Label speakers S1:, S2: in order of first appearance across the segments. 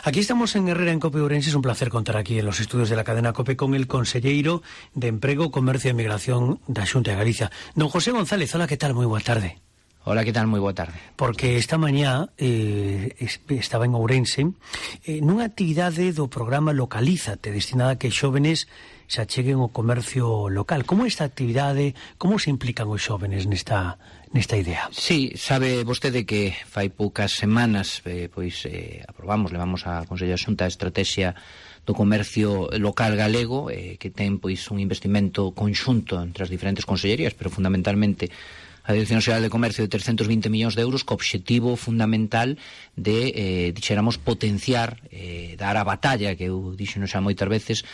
S1: Aquí estamos en Herrera, en COPE Ourense. Es un placer contar aquí en los estudios de la cadena COPE con el conselleiro de Emprego, Comercio e Migración da Xunta de Galicia, don José González. Hola, que tal? Moi boa tarde.
S2: Hola, que tal? Moi boa tarde.
S1: Porque esta mañá estaba en Ourense nunha actividade do programa Localízate, destinada a que xóvenes se acheguen ao comercio local. Como esta actividade, como se implican os xóvenes nesta idea?
S2: Sí, sabe vostede que fai poucas semanas levamos a Consello da Xunta a estrategia do comercio local galego, que ten un investimento conxunto entre as diferentes consellerías, pero fundamentalmente a Dirección Xeral de Comercio de 320 millóns de euros, co obxectivo fundamental de, dixéramos, potenciar, dar a batalla, que eu dixeno xa moitas veces,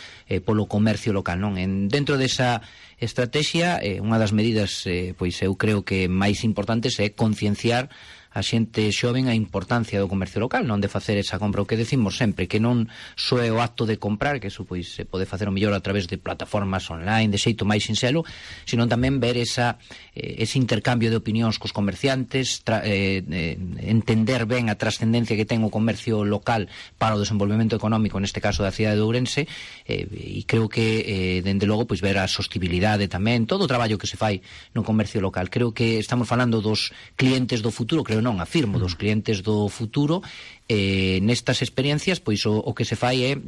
S2: polo comercio local, non? Dentro desa estrategia, unha das medidas, eu creo que máis importantes é concienciar a xente xoven a importancia do comercio local, non de facer esa compra, o que decimos sempre, que non só é o acto de comprar, que eso se pode facer o mellor a través de plataformas online, de xeito máis sinxelo, sino tamén ver ese intercambio de opinións cos comerciantes, entender ben a trascendencia que ten o comercio local para o desenvolvemento económico, neste caso da cidade de Ourense, e creo que, dende logo, ver a sostibilidade tamén, todo o traballo que se fai no comercio local. Creo que estamos falando dos clientes do futuro, creo non, afirmo, dos clientes do futuro. Nestas experiencias, o que se fai é,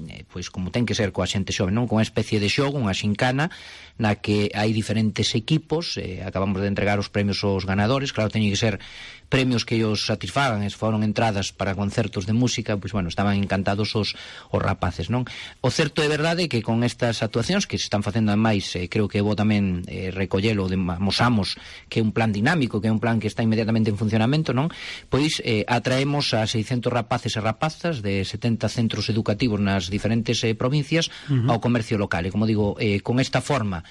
S2: como ten que ser coa xente xove, non? Con unha especie de xogo, unha xincana, na que hai diferentes equipos, acabamos de entregar os premios aos ganadores, claro, teñen que ser premios que ellos satisfagan, foron entradas para concertos de música, estaban encantados os rapaces, non? O certo é verdade que con estas actuacións que se están facendo ademais, creo que vou tamén recollelo, mosamos que é un plan dinámico, que é un plan que está inmediatamente en funcionamento, non? Atraemos a 600 rapaces e rapazas de 70 centros educativos nas diferentes provincias ao comercio local, e como digo, con esta forma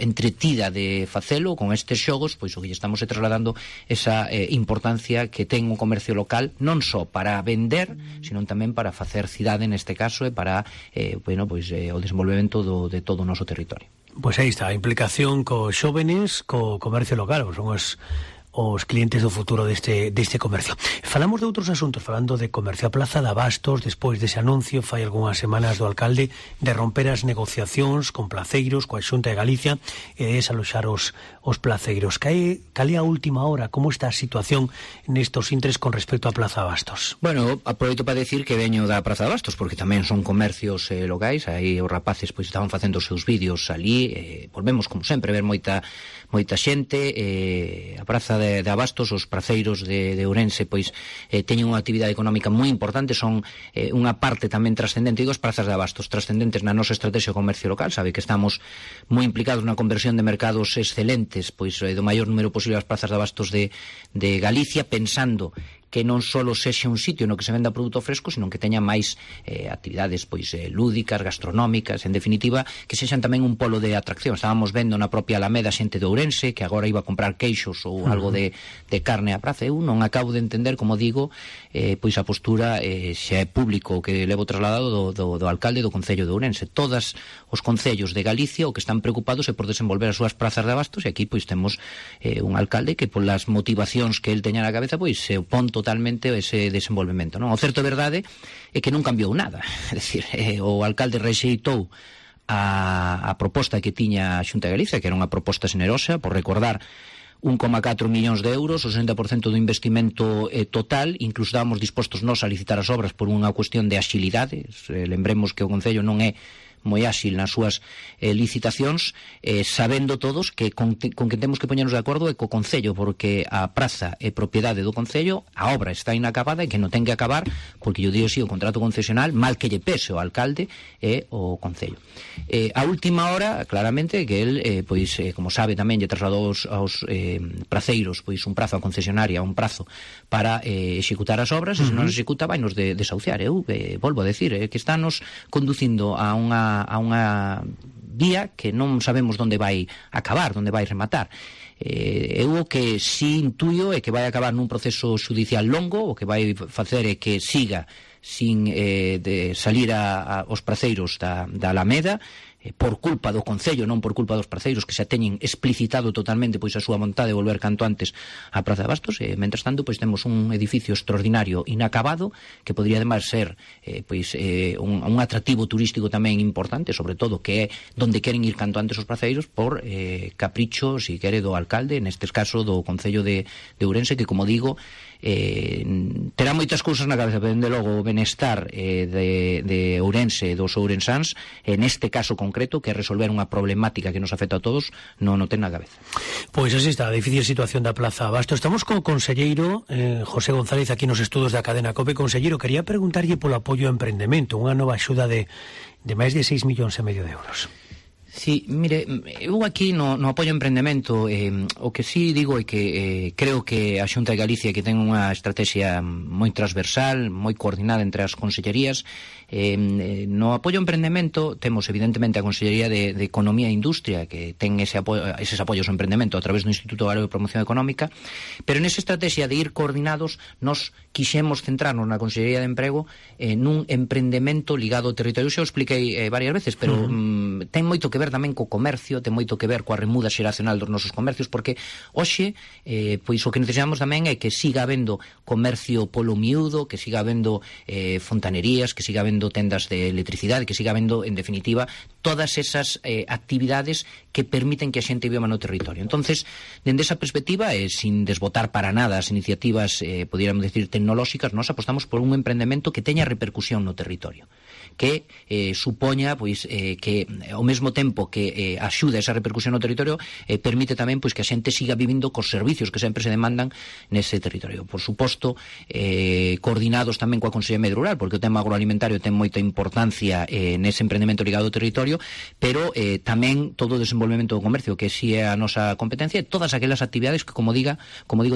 S2: entretida de facelo, con estes xogos, o que estamos trasladando esa importancia que ten o comercio local, non só para vender, sino tamén para facer cidade neste caso, e para o desenvolvemento de todo o noso territorio.
S1: Pois aí está, a implicación cos xóvenes, co comercio local, son os clientes do futuro deste comercio. Falamos de outros asuntos, falando de comercio. A Plaza de Abastos, despois dese anuncio, fai algunhas semanas do alcalde de romper as negociacións con placeiros, coa Xunta de Galicia, e de desaloxar os placeiros. Cal é a última hora? Como está a situación nestos intres con respecto a Plaza de Abastos?
S2: Bueno, aproveito para decir que veño da Praza de Abastos, porque tamén son comercios locais, aí os rapaces estaban facendo os seus vídeos ali, volvemos, como sempre, ver moita xente. A Praza de Abastos, os praceiros de Ourense, teñen unha actividade económica moi importante, son unha parte tamén trascendente. Digo, as prazas de Abastos trascendentes na nosa estrategia de comercio local, sabe que estamos moi implicados na conversión de mercados excelentes, do maior número posible as prazas de Abastos de Galicia, pensando que non só sexa un sitio no que se venda produto fresco, sino que teña máis actividades lúdicas, gastronómicas, en definitiva, que sexan tamén un polo de atracción. Estábamos vendo na propia Alameda xente de Ourense que agora iba a comprar queixos ou algo de carne á praza. Eu non acabo de entender, como digo, a postura xa é público que levo trasladado do alcalde do Concello de Ourense. Todos os concellos de Galicia o que están preocupados é por desenvolver as súas prazas de abastos, e aquí temos un alcalde que polas motivacións que el teña na cabeza se opón totalmente ese desenvolvemento, non? O certo é verdade é que non cambiou nada, é dicir, o alcalde rexeitou a proposta que tiña a Xunta de Galicia, que era unha proposta xenerosa, por recordar, 1,4 millóns de euros, o 60% do investimento total. Incluso estábamos dispostos nós a licitar as obras por unha cuestión de axilidade. Lembremos que o Concello non é moi áxil nas súas licitacións, sabendo todos que con que temos que poñernos de acordo é co Concello, porque a praza é propiedade do Concello, a obra está inacabada e que non ten que acabar, porque yo digo o contrato concesional, mal que lle pese o alcalde e o Concello. A última hora, claramente, que el, como sabe tamén, lle trasladou aos praceiros un prazo a concesionaria, un prazo para executar as obras, e se non se executa vai nos desahuciar. Eu volvo a decir que estános conducindo a unha vía que non sabemos onde vai acabar, onde vai rematar. Eu o que si intuyo é que vai acabar nun proceso judicial longo, o que vai facer é que siga sin de salir aos praceiros da Alameda, por culpa do Concello, non por culpa dos parceiros que xa teñen explicitado totalmente pois a súa vontade de volver canto antes á Praza de Bastos. Mentres tanto, pois temos un edificio extraordinario inacabado que podría ademais ser un atractivo turístico tamén importante, sobre todo que é donde queren ir canto antes os parceiros por capricho, si quere, do alcalde, nestes caso do Concello de Ourense, que, como digo, terá moitas cousas na cabeza, pero dende logo o benestar de Ourense, dos ourensáns, neste caso concreto, que é resolver unha problemática que nos afecta a todos, non o ten na cabeza.
S1: Pois así está a difícil situación da Plaza Bastos. Estamos co conselleiro José González aquí nos estudos da cadena COPE. Conselleiro, quería preguntarlle polo apoio ao emprendemento, unha nova axuda de máis de 6,5 millóns de euros.
S2: Sí, mire, eu aquí no apoio ao emprendemento o que sí digo é que creo que a Xunta de Galicia, que ten unha estrategia moi transversal, moi coordinada entre as consellerías, no apoio ao emprendemento temos evidentemente a Consellería de Economía e Industria, que ten eses apoios ao emprendemento a través do Instituto Galego de Promoción Económica, pero nesa estrategia de ir coordinados nos quixemos centrarnos na Consellería de Emprego nun emprendemento ligado ao territorio. Xa o expliquei varias veces, pero ten moito que ver tamén co comercio, ten moito que ver coa remuda xeracional dos nosos comercios, porque hoxe pois o que necesitamos tamén é que siga habendo comercio polo miúdo, que siga habendo fontanerías, que siga habendo tendas de electricidade, que siga habendo, en definitiva, todas esas actividades que permiten que a xente viva no territorio. Entonces, dende esa perspectiva, sin desbotar para nada as iniciativas, podríamos decir, tecnolóxicas, nós apostamos por un emprendemento que teña repercusión no territorio, que supoña pois que ao mesmo tempo que axuda esa repercusión no territorio, permite tamén pois que a xente siga vivindo cos servicios que sempre se demandan nese territorio. Por suposto, coordinados tamén coa Consellería de Medio Rural, porque o tema agroalimentario ten moita importancia nese emprendemento ligado ao territorio, pero tamén todo o desenvolvemento do comercio, que si é a nosa competencia, e todas aquelas actividades que, como digo,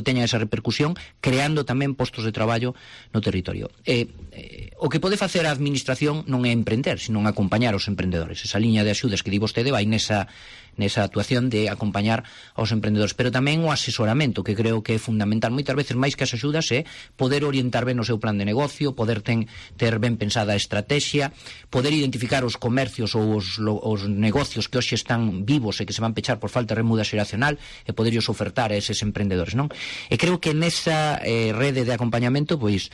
S2: teñan esa repercusión, creando tamén postos de traballo no territorio. O que pode facer a administración non é emprender, sino acompañar os emprendedores. Esa liña de axudas que di vostede vai nesa actuación de acompañar aos emprendedores, pero tamén o asesoramento, que creo que é fundamental. Moitas veces, máis que as axudas, é poder orientar ben o seu plan de negocio, poder ter ben pensada a estrategia, poder identificar os comercios ou os negocios que hoxe están vivos e que se van pechar por falta de remuda xeracional, e poderllos ofertar a eses emprendedores, non? E creo que nesa rede de acompañamento, pois,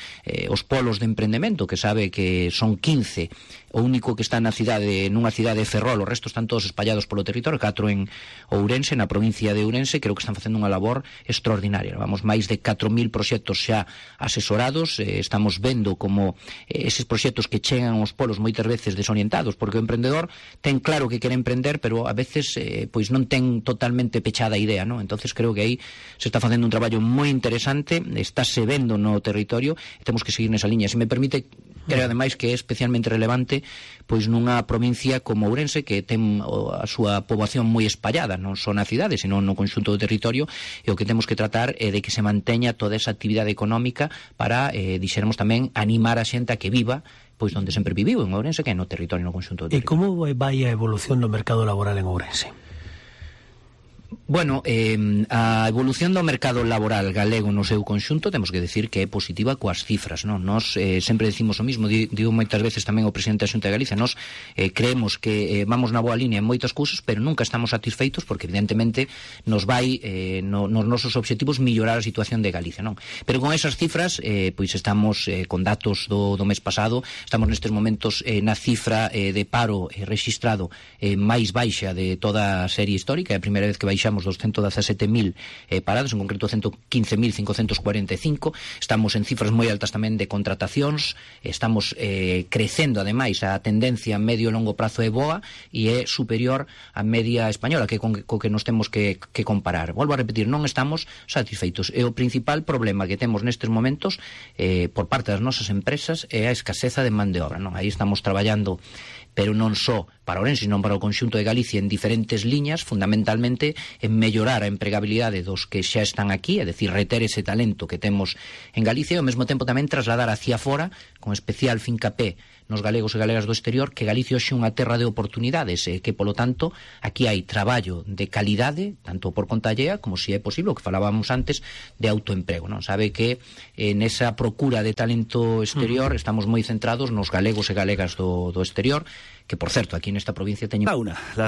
S2: os polos de emprendemento, que sabe que son 15, o único que está nunha cidade de Ferrol, os restos están todos espallados polo territorio, 4 en Ourense, na provincia de Ourense. Creo que están facendo unha labor extraordinaria. Vamos máis de 4.000 proxectos xa asesorados, estamos vendo como eses proxectos que chegan aos polos moitas veces desorientados, porque o emprendedor ten claro que quere emprender, pero a veces pois non ten totalmente pechada a idea, non? Entonces creo que aí se está facendo un traballo moi interesante, estáse vendo no territorio, e temos que seguir nesa liña. Se me permite, creo ademais que é especialmente relevante pois nunha provincia como Ourense, que ten a súa poboación moi espallada, non só na cidade, senón no conxunto do territorio, e o que temos que tratar é de que se manteña toda esa actividade económica para, dixéramos tamén, animar a xente a que viva pois onde sempre viviu, en Ourense, que é no territorio, no conxunto do territorio.
S1: E como vai a evolución do mercado laboral en Ourense?
S2: Bueno, a evolución do mercado laboral galego no seu conxunto temos que decir que é positiva coas cifras, non? Nos sempre decimos o mismo, digo moitas veces tamén o presidente da Xunta de Galicia, nos creemos que vamos na boa línea en moitas cousas, pero nunca estamos satisfeitos, porque evidentemente nos vai nos nosos obxectivos mellorar a situación de Galicia, non? Pero con esas cifras, pois estamos con datos do mes pasado, estamos nestes momentos na cifra de paro rexistrado máis baixa de toda a serie histórica. É a primeira vez que baixamos dos 117.000 parados, en concreto 115.545. Estamos en cifras moi altas tamén de contratacións, estamos crecendo ademais, a tendencia a medio e longo prazo é boa e é superior á media española, que co que nos temos que comparar. Volvo a repetir, non estamos satisfeitos, e o principal problema que temos nestes momentos por parte das nosas empresas é a escaseza de man de obra, non? Aí estamos traballando, pero non só para Ourense, non para o conxunto de Galicia, en diferentes liñas, fundamentalmente en mellorar a empregabilidade dos que xa están aquí, é dicir, reter ese talento que temos en Galicia, e ao mesmo tempo tamén trasladar hacia fora, con especial fincapé nos galegos e galegas do exterior, que Galicia hoxe é unha terra de oportunidades, que, polo tanto, aquí hai traballo de calidade, tanto por conta allea, como se é posible, o que falábamos antes, de autoemprego, non? Sabe que nesa procura de talento exterior estamos moi centrados nos galegos e galegas do exterior, que por certo, aquí nesta provincia teñen...